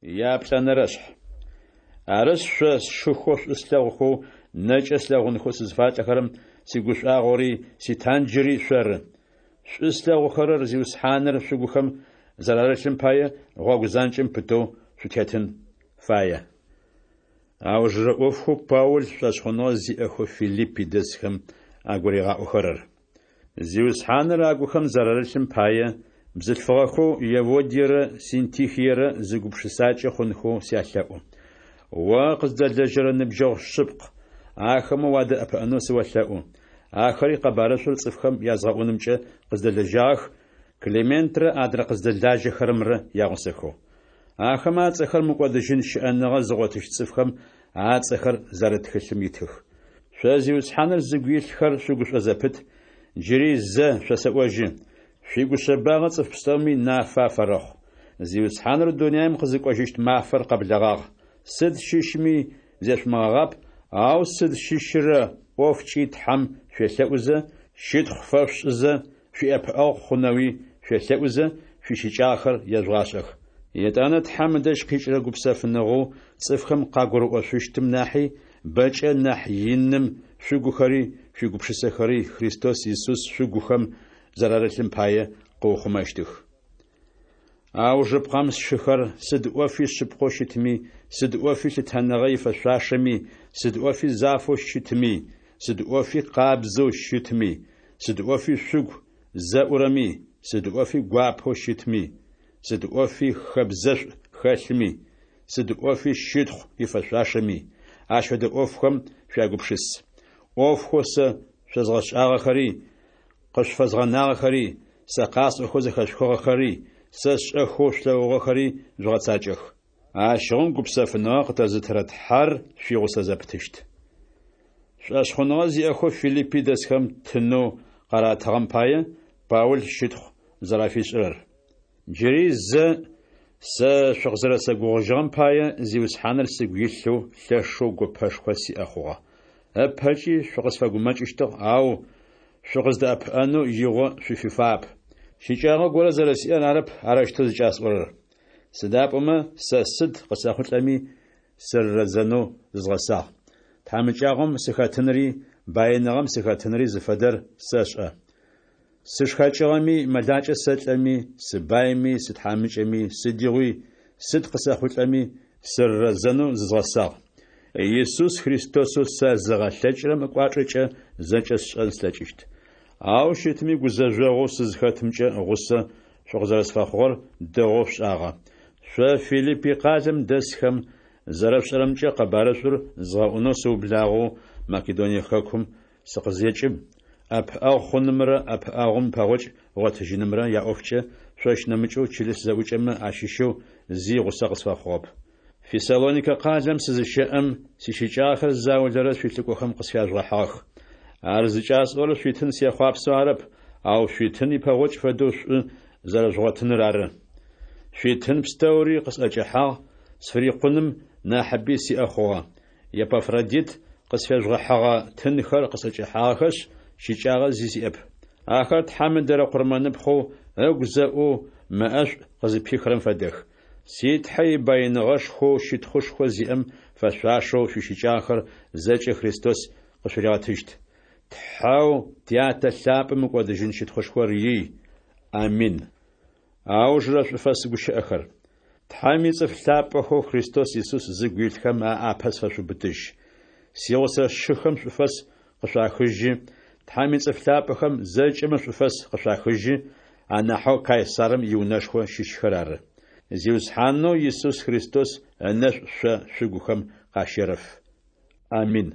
Яплӏэнэрэшъхь. Арышъ, шъо сшыхэу шӏу слъэгъухэу, нэкӏэ слъэгъунхэу сызфалӏэхэрэм сигушӏуагъори ситанджыри шъоры. Шӏу слъэгъухэрэр, Зиусхьаныр шъугухэм зэрарылъым пае, гъогу занкӏэм пытэу шъутетын фае. Аужырэ ӏофхэу Паул шӏошъхъуныгъэ зиӏэхэу Филиппи дэсхэм агуригъаӏохэрэр. Зиусхьаныр агухэм зэрарылъым пае, бзылъфыгъэхэу Еводиерэ Синтихиерэ зы гупшысакӏэ хъунхэу сялъэӏу. О къыздэлэжьэрэ ныбджэгъу шъыпкъ, ахэмэ уадэӏэпыӏэнэу сыолъэӏу. Ахэри къэбарышӏур цӏыфхэм язгъэӏунымкӏэ къыздэлэжьагъэх, Клементрэ адрэ къыздэлажьэхэрэмрэ ягъусэхэу. Ахэмэ ацӏэхэр мыкӏодыжьын щыӏэныгъэ зыгъотыщт цӏыфхэм ацӏэхэр зэрыт тхылъым итых. Шъо Зиусхьаныр зыгу илъхэр шъугушӏо зэпыт, джыри зэ шъосэӏожьы: шъуигушъэбагъэ цӏыф пстэуми нафэ афэрэхъу. Зиусхьаныр дунаим къызыкӏожьыщт мафэр къэблэгъагъ. Сыд щыщми зешъумыгъэгъап, ау сыд щыщырэ ӏофкӏи Тхьэм шъуелъэӏузэ, щытхъу фэшъушӏызэ, шъуиӏэпыӏэгъу хъунэуи шъуелъэӏузэ, шъуищыкӏагъэхэр ежъугъашӏэх. Етӏанэ Тхьэм ыдэжь къикӏырэ гупсэфыныгъэу цӏыфхэм къагурыӏошъущтым нахьи бэкӏэ нахь иным шъугухэри шъуигупшысэхэри Христос Исус шъугухэм зэрарылъым пае къыухъумэщтых. Аужыпкъэм, сшыхэр, сыд ӏофи шъыпкъэу щытми, сыд ӏофи лъытэныгъэ ифэшъуашэми, сыд ӏофи зафэу щытми, сыд ӏофи къабзэу щытми, сыд ӏофи шъугу зэӏурэми, сыд ӏофи гуапэу щытми, сыд ӏофи хэбзэшӏу хэлъми, сыд ӏофи щытхъу ифэшъуашэми, ащ фэдэ ӏофхэм шъуягупшыс. ӏофхэу сэ шъозгъэшӏагъэхэри, къышъуфэзгъэнагъэхэри, сэ къасӏохэу зэхэшъухыгъэхэри, сэ сшӏэхэу шъулъэгъугъэхэри жъугъэцакӏэх. Ащыгъум гупсэфыныгъэ къытэзытырэ Тхьэр шъуигъусэ зэпытыщт. Шӏошъхъуныгъэ зиӏэхэу Филиппи дэсхэм тынэу къаратыгъэм пае Паул щытхъу зэрафишӏырэр. Джыри зэ сэ шъукъызэрэсэгугъужьыгъэм пае Зиусхьаныр сыгу илъэу лъэшэу гопэшхо сиӏэ хъугъэ. Ыпэкӏи шъукъысфэгумэкӏыщтыгъ, ау шъукъыздэӏэпыӏэнэу игъо шъуфифагъэп. Щыкӏагъэ горэ зэрэсиӏэр арэп арэущтэу зыкӏасӏорэр. Сыда пӏомэ сэ сыд къысэхъулӏэми сырырэзэнэу зызгъэсагъ. Тхьамыкӏагъом сыхэтынри баиныгъэм сыхэтынри зыфэдэр сэшӏэ. Сышхэкӏыгъэми, мэлакӏэ сэлӏэми, сыбайми, сытхьамыкӏэми, сыдигъуи, сыд къысэхъулӏэми, сырырэзэнэу зызгъэсагъ. Исус Христосэу сэзыгъэлъэкӏырэм ыкӏуачӏэкӏэ зэкӏэ сшӏэн слъэкӏыщт. Ау щытми гузэжъогъоу сызхэтымкӏэ гъусэ шъукъызэрэсфэхъугъэр дэгъоу шъушӏагъэ. Шъо Филиппи къалэм дэсхэм, зэрэшъушӏэрэмкӏэ къэбарышӏур згъэӏунэу сыублагъэу Македоние хэкум сыкъызекӏым, ӏэпыӏэгъу хъунымрэ ӏэпыӏэгъум пэгъокӏ гъотыжьынымрэ яӏофкӏэ шъощ нэмыкӏэу чылыс зэӏукӏэмэ ащыщэу зи гъусэ къысфэхъугъэп. Фессалоникэ къалэм сызыщэӏэм, сищыкӏагъэхэр заулэрэ шъуилӏыкӏохэм къысфяжъугъэхьыгъэх. Ар зыкӏасӏорэр шъуитын сехъуапсэу арэп, ау шъуитын ипэгъокӏ фэдэу шӏу зэрэжъугъотыныр ары. Шъуитын пстэури къысӏэкӏэхьагъ, сфырикъуным нахьыби сиӏэ хъугъэ. Епафродит къысфежъугъэхьыгъэ тынхэр къысӏэкӏэхьагъэхэшъ, щыкӏагъэ зи сиӏэп. Ахэр Тхьэм ыдэрэ къурмэныпхъэу, ыгу зэӏоу, мэӏэшӏу къызыпихрэм фэдэх. Си Тхьэ ибаиныгъэшхоу щытхъушхо зиӏэм фэшъуашэу шъуищыкӏагъэхэр зэкӏэ Христос къышъуригъэтыщт. Тхьэу Тятэ лъапӏэм мыкӏодыжьын щытхъушхор ий. Амин. Аужырэ шӏуфэс гущыӏэхэр. Тхьэм ицӏыф лъапӏэхэу Христос Исус зыгу илъхэм аӏапэ сфэшъубытыжь. Сигъусэ сшыхэм шӏуфэс къышъуахыжьы, Тхьэм ицӏыф лъапӏэхэм зэкӏэмэ шӏуфэс къышъуахыжьы, анахьэу Кайсарым иунэшхо щыщхэр ары. Зиусхьанэу Исус Христос ынэшӏу шъо шъугухэм къащерэф. Амин.